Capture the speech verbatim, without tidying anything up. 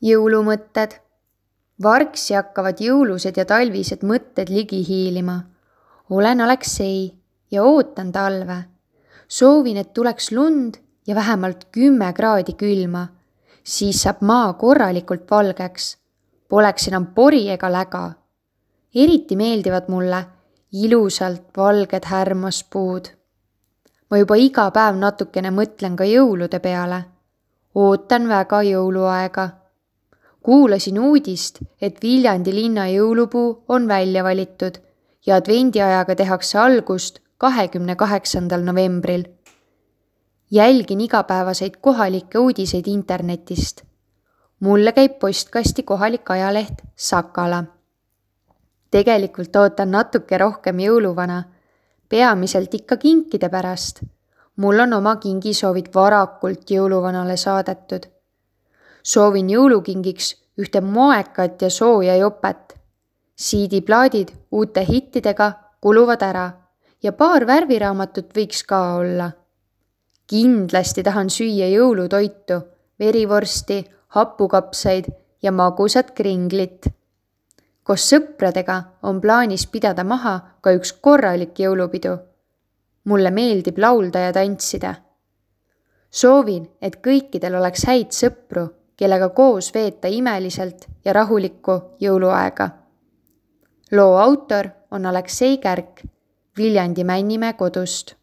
Jõulumõtted. Vargsi hakkavad jõulused ja talvised mõtted ligi hiilima. Olen Aleksei ja ootan talve. Soovin, et tuleks lund ja vähemalt kümme kraadi külma. Siis saab maa korralikult valgeks. Poleks enam pori ega läga. Eriti meeldivad mulle ilusalt valged härmaspuud. Ma juba iga päev natukene mõtlen ka jõulude peale. Ootan väga jõuluaega. Kuulasin uudist, et Viljandi linna jõulupuu on välja valitud ja advendiajaga tehakse algust kahekümne kaheksandal novembril. Jälgin igapäevaseid kohalikke uudiseid internetist. Mulle käib postkasti kohalik ajaleht Sakala. Tegelikult ootan natuke rohkem jõuluvana, peamiselt ikka kinkide pärast. Mul on oma kingisoovid varakult jõuluvanale saadetud. Soovin jõulukingiks ühte moekat ja sooja jopet. Siidiplaadid uute hittidega kuluvad ära ja paar värviraamatut võiks ka olla. Kindlasti tahan süüa jõulutoitu, verivorsti, hapukapsaid ja magusat kringlit. Koos sõpradega on plaanis pidada maha ka üks korralik jõulupidu. Mulle meeldib laulda ja tantsida. Soovin, et kõikidel oleks häid sõpru, kellega koos veeta imeliselt ja rahulikku jõuluaega. Loo autor on Aleksei Kärk Viljandi Männimäe kodust.